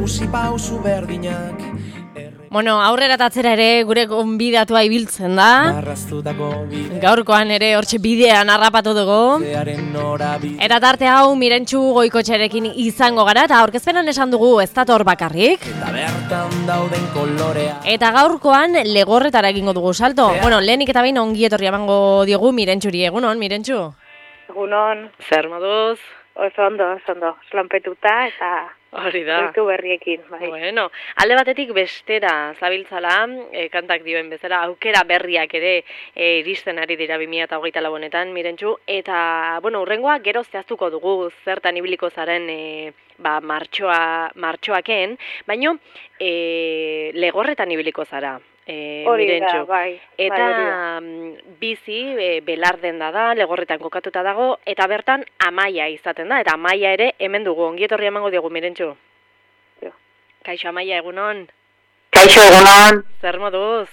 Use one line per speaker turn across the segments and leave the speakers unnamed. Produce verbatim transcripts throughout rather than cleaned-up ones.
jauzi pausu berdinak.
Bueno, aurrera tatzera ere gure gonbidatua ibiltzen da. Gaurkoan ere hortxe bidean harrapatu dugu. Eta tarte hau Mirentxu Goikotxearekin izango gara, eta aurkezpenan esan dugu ez dator bakarrik. Eta gaurkoan Legorretara egingo dugu salto. Bueno, lehenik eta behin ongi etorri emango diogu Mirentxuri. Egunon, Mirentxu?
Egunon.
Zer moduz?
Oso ondo, oso ondo. Slanpetuta eta...
Hori da.
Hortu berriekin, bai.
Bueno, alde batetik bestera zabiltzala, e, kantak dioen bezala, aukera berriak ere e, iristen ari dira bi mila hogeita lau honetan, Mirentxu, eta, bueno, hurrengoa gero zehaztuko dugu zertan ibiliko zaren e, ba, martxoa, martxoaken, baino e, Legorretan ibiliko zara. E,
hori
Mirentxu.
da, bai.
Eta
bai,
bizi e, Belarden da da, Legorretan kokatuta dago, eta bertan Amaia izaten da, eta Amaia ere hemen dugu, ongietorri emango diogu, Mirentxu.
Jo.
Kaixo Amaia, egunon?
Kaixo, egunon.
Zer moduz?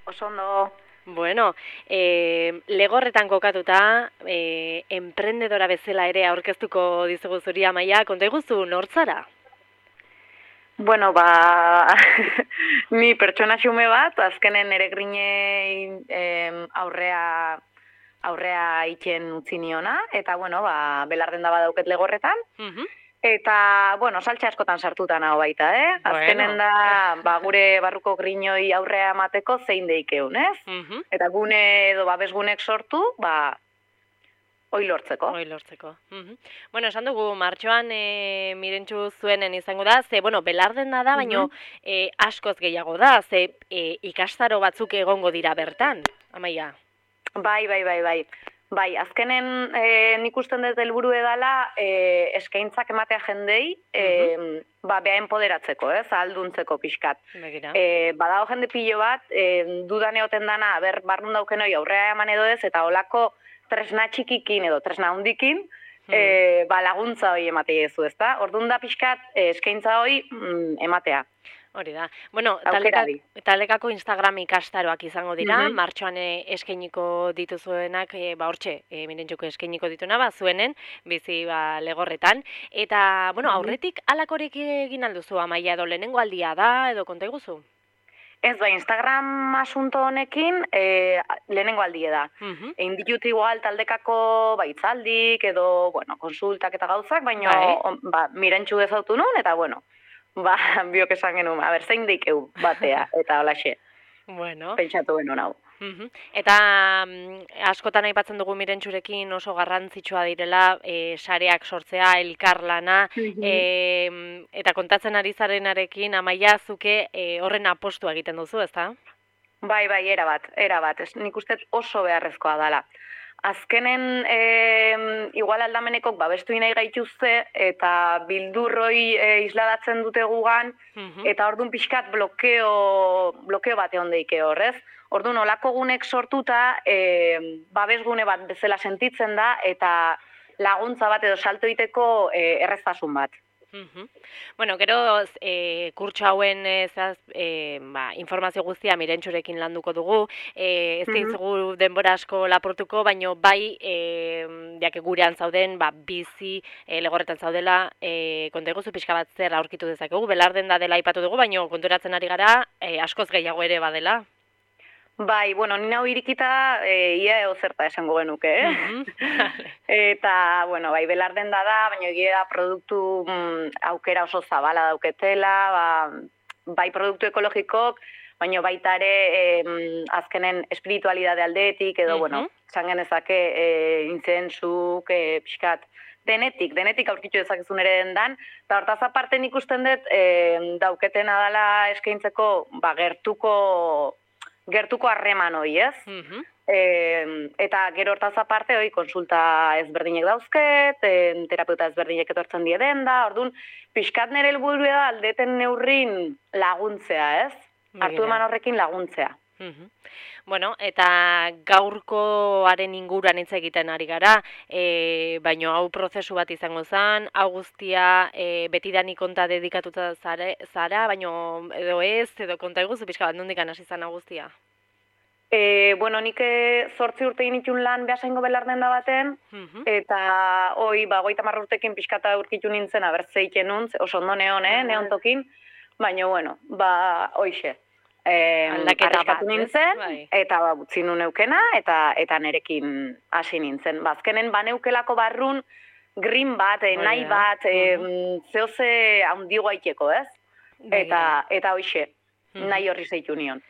Oso ondo.
Bueno, e, Legorretan kokatuta, e, emprendedora bezala ere aurkeztuko dizugu zuri Amaia, konta iguzu nortzara?
Bueno, ba, ni pertsona xume bat, azkenen ere grinei em, aurrea, aurrea itxen utzi niona, eta, bueno, ba, Belarden da badauket Legorretan,
Uh-huh.
eta, bueno, saltxe askotan sartuta nago baita, eh? Azkenen
Bueno.
da, ba, gure barruko grinoi aurrea emateko zein deikeun, ez?
Uh-huh.
Eta gune edo babesgunek sortu, ba, hoi lortzeko.
Hoi lortzeko. Uh-huh. Bueno, esan dugu, martxoan e, Mirentxu zuenen izango da, ze, bueno, Belarden da da, baino e, askoz gehiago da, ze e, ikastaro batzuk egongo dira bertan, Amaia.
Bai, bai, bai, bai. Bai, azkenen e, nik usten dut helburu edala e, eskaintzak ematea jendei, e, ba, beha empoderatzeko, ez, ahalduntzeko pixkat.
Begira.
E, badago jende pilo bat, e, dudan egoten dana, ber, barrun dauken hori aurrea eman edo ez, eta holako tresna txikikin edo tresna hundikin, e, ba, laguntza hori ematea ezu, ezta? Orduan da pixkat e, eskaintza hori mm, ematea.
Hori da. Bueno,
Aukera
taleka,
di.
talekako Instagram ikastaroak izango dira,
Mhm.
martxoan e, eskainiko dituzuenak, e, ba hortxe, e, Mirentxuko eskainiko dituna, ba zuenen, bizi ba Legorretan. Eta, bueno, aurretik alakorek egin alduzu, Amaia, edo lehenengo aldia da, edo konta iguzu?
Ez, bai, Instagram asunto honekin e, lehenengo aldie da.
Uh-huh.
Egin ditut igual taldekako baitzaldik edo, bueno, konsultak eta gauzak, baina
Bai.
on, ba, Mirentxu ezautu nun, eta, bueno, ba, biok esan genuen, a ber, zein deikeu batea, eta holaxe,
Bueno.
pentsatu genuen hau.
Mhm. Eta mm, askotan aipatzen dugu Mirentxurekin oso garrantzitsua direla e, sareak sortzea, elkarlana, e, eta kontatzen ari zarenarekin Amaia zuke e, horren apostua egiten duzu, ezta?
Bai, bai, era bat, era bat, ez, nik uste oso beharrezkoa dala. Azkenen, e, igual aldamenekok babestu nahi gaituzte, eta bildurroi e, isladatzen dute gugan,
Mhm.
eta orduan pixkat blokeo, blokeo bat egon deike horrez. Orduan, olako gunek sortuta, e, babesgune bat bezala sentitzen da, eta laguntza bat edo salto egiteko e, erreztasun bat.
Mhm. Bueno, gero e, kurtso hauen e, zaz, e, ba, informazio guztia Mirentxurekin landuko dugu, e, ez dizugu denbora asko lapurtuko, baino bai e, diake gurean zauden, ba, bizi e, Legorretan zaudela, e, konta iguzu pixka bat zer aurkitu dezakegu, Belarden da dela aipatu dugu, baino konturatzen ari gara e, askoz gehiago ere badela.
Bai, bueno, nina hau irikita e, ia eo zerta esango genuke, eh?
Mhm.
Eta, bueno, bai, Belarden da da, baina egia da produktu mm, aukera oso zabala dauketela, ba, bai produktu ekologikok, baina baita ere e, azkenen espiritualidade aldetik, edo,
Mhm.
bueno, esan genezake e, intzensuk, e, pixkat, denetik, denetik aurkitu dezakezun ere dendan, eta hortaz aparte nik usten dut e, dauketena dela eskaintzeko, ba, gertuko gertuko harreman hori, ez?
Mhm.
E, eta gero hortaz aparte, hori, konsulta ezberdinek dauzket, e, terapeuta ezberdinek etortzen die denda, orduan, pixkat nire helburua da aldeten neurrin laguntzea, ez? Hartu
Begira.
eman horrekin laguntzea.
Mhm. Bueno, eta gaurkoaren inguruan hitz egiten ari gara, e, baino hau prozesu bat izango zen, hau guztia e, betidanik konta dedikatuta zare, zara, baino edo ez, edo konta eguzu pixka bat nondik hasi zen hau guztia?
E, bueno, nik zortzi urte initun lan behasaingo belarden da baten,
Mhm.
eta hoi, ba, goita marra urtekin pixkata urkitu nintzen, abertzeiten nuntz, oso ondo neon, eh, neontokin, baina, bueno, ba, hoixe. E,
Aldaketa
arriskatu
bat, ez?
nintzen,
Bai.
eta ba, utzi nu neukena, eta, eta nerekin hasi nintzen. Bazkenen, ba, neukelako barrun, green bat, eh,
Hori
nahi
da.
bat, eh,
Mhm.
zehoze handigo aiteko, ez?
Begira.
Eta, eta hoixe,
Mhm.
nahi horri zeitu nion.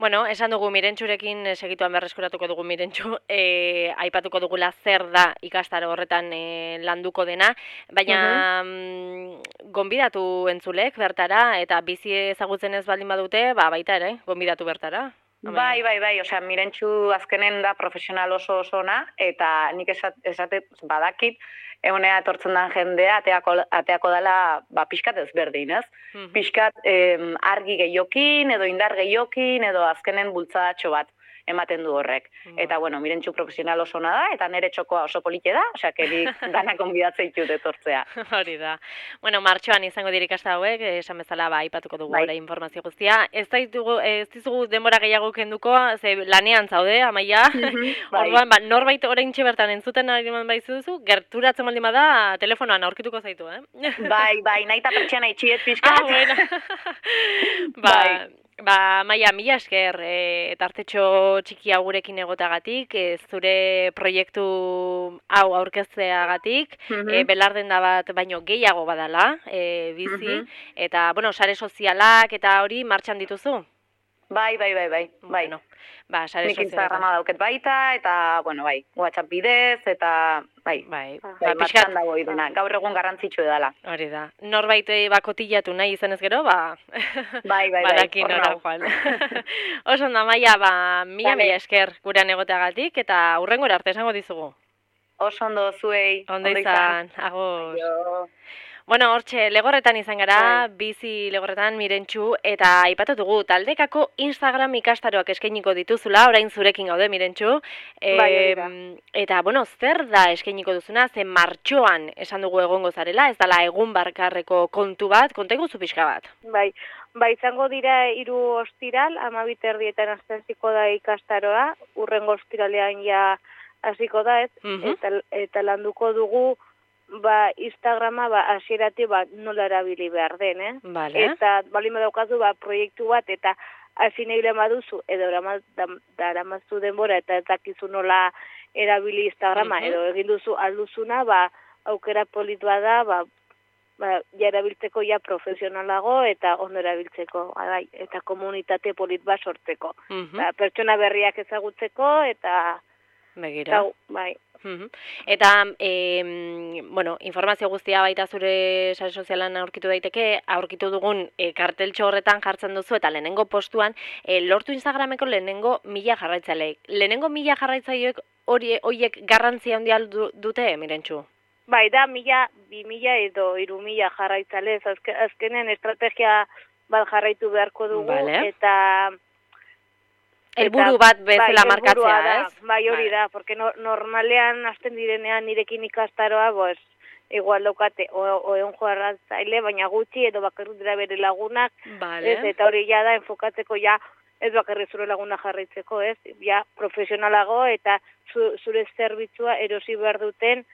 Bueno, esan dugu Mirentxurekin eh, segituan berreskuratuko dugu Mirentxu, e, aipatuko dugula zer da ikastaro horretan e, landuko dena, baina mm, gonbidatu entzulek bertara, eta bizi ezagutzen ez baldin badute, ba, baita ere, gonbidatu bertara.
Bai, bai, bai, osea, Mirentxu azkenen da profesional oso osona, eta nik esat, esate badakit, egonea etortzen den jendea, ateako, ateako dela, ba, pixkat ezberdin, ez?
Mhm.
Pixkat em, argi gehiokin, edo indar gehiokin, edo azkenen bultzadatxo bat ematen du horrek.
Ba.
Eta, bueno, Mirentxu profesional osona da, eta nere txokoa oso polite da, osea, kerik danak onbidatzea ditut etortzea.
Hori da. Bueno, martxoan izango dira ikasta hauek, esan bezala ba aipatuko dugu
Bai.
ora informazio guztia. Ez ditugu ez dizugu denbora gehiago kenduko, ze lanean zaude, Amaia.
Bai.
Orduan, ba, norbait oraintxe bertan entzuten ari baizu duzu, gerturatzen baldin bada telefonoan aurkituko zaitu, eh?
Bai, bai, nahi eta pertsiana itxiet
Ah,
pixkat.
bueno. ba,
Bai.
ba, Maia, mila esker, e, tartetxo txiki hau gurekin egotagatik, e, zure proiektu hau aurkezteagatik, e, belarden da bat baino gehiago badala, e, bizi,
Mhm.
eta, bueno, sare sozialak eta hori martxan dituzu?
Bai, bai, bai, bai, bai.
Bueno, ba, sare
Nik
sozialetan.
Instagrama dauket baita, eta, bueno, bai, WhatsApp bidez, eta, bai,
Bai,
bai,
ba,
martxan
pixkat,
dago iduna. Gaur egun garrantzitsu edala.
hori da. Norbait eh, ba kotillatu nahi izanez gero, ba
Bai, bai, bai,
badaki
hor
nora
nau.
joan. Oso ondo, Amaia, ba mila
Vale.
mila esker gurean egoteagatik eta hurrengora arte esango dizugu.
Oso ondo zuei.
Ondo izan, agur.
Aio.
Bueno, hortxe, legorretan izan gara,
Bai.
bizi legorretan Mirentxu, eta aipatu dugu, taldekako Instagram ikastaroak eskainiko dituzula, orain zurekin gaude Mirentxu.
Bai, hori da.
Em, eta, bueno, zer da eskainiko duzuna, ze martxoan esan dugu egongo zarela, ez dala egun barkarreko kontu bat, konta iguzu pixka bat.
Bai, ba izango dira hiru ostiral, hamabi erdietan hasiko da ikastaroa, urrengo ostiralean ja hasiko da, ez?
Mhm.
Eta eta landuko dugu ba Instagrama ba hasieratik ba nola erabili behar den, eh?
Vale.
Eta balin badaukazu ba proiektu bat eta hasi nahi baduzu edo daramazu denbora eta ez dakizu nola erabili Instagrama
Mhm.
edo egin duzu alduzuna, ba aukera polit bada, ba ba, ja erabiltzeko ja profesionalago eta ondo erabiltzeko, bai, eta komunitate polit bat sortzeko.
Mhm.
Ba, pertsona berriak ezagutzeko eta,
Begira.
eta bai.
Mhm. Eta, em, bueno, informazio guztia baita zure sare sozialan aurkitu daiteke, aurkitu dugun e, karteltxo horretan jartzen duzu, eta lehenengo postuan, e, lortu Instagrameko lehenengo mila jarraitzaileek. Lehenengo mila jarraitzaileek hori horiek garrantzia handia du, dute, Mirentxu?
Bai, da mila, bi mila edo hiru mila jarraitzale, ez azke, azkenen estrategia bat jarraitu beharko dugu,
Vale.
eta...
Helburu
eta-
bat bezala
bai,
markatzea,
helburua da,
ez?
Bai, hori
Vale.
da, porque no, normalean hasten direnean nirekin ikastaroa, pues, igual daukate, oeon jarratzaile, baina gutxi, edo bakarrik dira bere lagunak,
Vale.
ez, eta hori ja da, enfokatzeko ja, ez bakarrik zure laguna jarraitzeko, ez, ja, profesionalago, eta zu, zure zerbitzua erosi behar duten,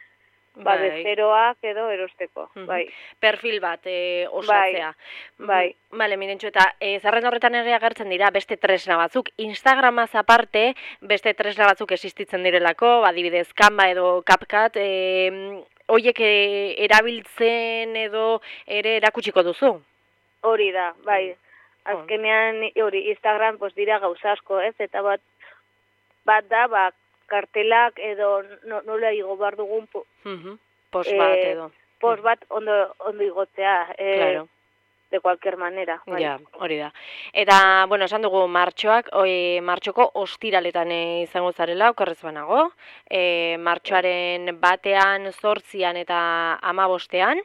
ba,
Bai.
bezeroak edo erosteko,
Mhm.
bai.
Perfil bat e, osatzea.
bai.
Mm, Bale, Mirentxu, eta e, zerrenda horretan ere agertzen dira beste tresna batzuk. Instagramaz aparte, beste tresna batzuk existitzen direlako, adibidez, Canva edo CapCut, e, hoiek e, erabiltzen edo ere erakutsiko duzu.
Hori da, bai.
Mm.
Azkenean, hori, Instagram, pues, dira gauza asko, ez, eta bat, bat da, ba, kartelak edo no, nola igo behar dugun po,
Mhm. Post
Eh,
bat edo.
post bat ondo, ondo igotzea, eh,
Claro.
de cualquier manera. Bai.
Ja, hori da. Eta, bueno, esan dugu martxoak, oi, martxoko ostiraletan e, izango zarela, okerrez banago. E, martxoaren batean, zortzian eta amabostean.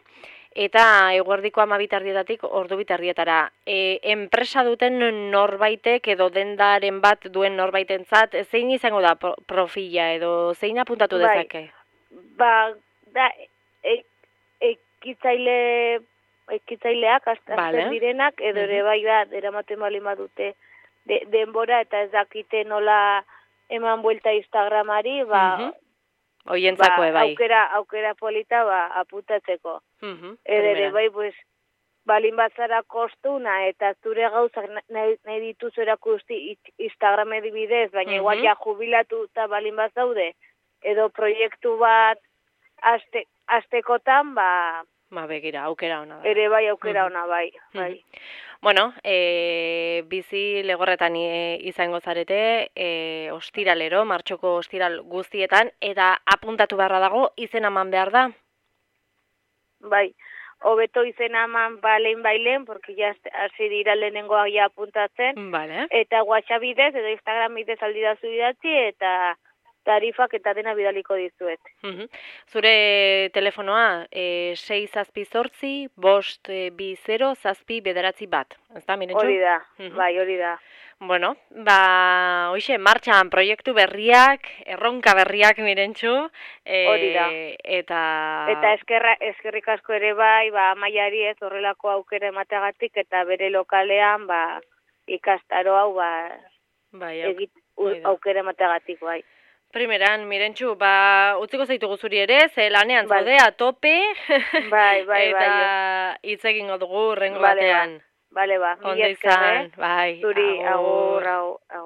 Eta eguerdiko amabitardietatik ordu bitardietara. E, enpresa duten norbaitek edo dendaren bat duen norbaitentzat, zein izango da pro- profila edo zein apuntatu
Bai.
dezake?
Ba, da, e, ekitzaile, ekitzaileak, azten
Vale.
direnak, edo ere
Mhm.
bai da, eramaten bali dute de, denbora eta ez dakite nola eman buelta Instagramari, ba,
Mhm. Oientzako
ba,
bai.
aukera, aukera polita ba, aputatzeko.
Mhm.
Ere,
Primera.
bai, pues, balin bazara kostuna eta zure gauzak nahi, nahi dituzu erakusti Instagram edibidez, baina igual
Mhm.
ja jubilatu eta balin bazaude, edo proiektu bat aste, astekotan, ba,
Ba, begira, aukera ona da.
ere bai aukera
Mhm.
ona bai, bai.
Bueno, e, bizi legorretan e, izango zarete, e, ostiralero, martxoko ostiral guztietan, eta apuntatu beharra dago, izen eman behar da?
Bai, hobeto izena eman balen bailen, porque ya hasi dira lehenengoa ja apuntatzen,
Vale.
eta WhatsApp bidez, edo Instagram bidez aldidazu idatzi, eta tarifak eta dena bidaliko dizuet.
Mhm. Zure telefonoa, e, sei zazpi zortzi, bost e, bi zero, zazpi bederatzi bat. Ez da, Mirentxu?
Hori da,
Mhm.
bai, hori da.
Bueno, ba, hoxe, martxan proiektu berriak, erronka berriak, Mirentxu. E,
Hori da.
Eta...
Eta eskerra, eskerrik asko ere bai, ba, Maiari ez horrelako aukera emateagatik, eta bere lokalean, ba, ikastaro hau, ba,
Bai,
egit,
hori da.
aukera emateagatik bai.
Primeran, Mirentxu, ba, utziko zaitugu zuri ere, ze lanean
Bai.
zaude, a tope,
Bai, bai, bai.
eta hitz egingo dugu rengo
Bale, ba.
batean.
Bale, ba,
Ondo
mila esker,
izan,
eh?
bai,
Zuri,
agur.
agur, agur.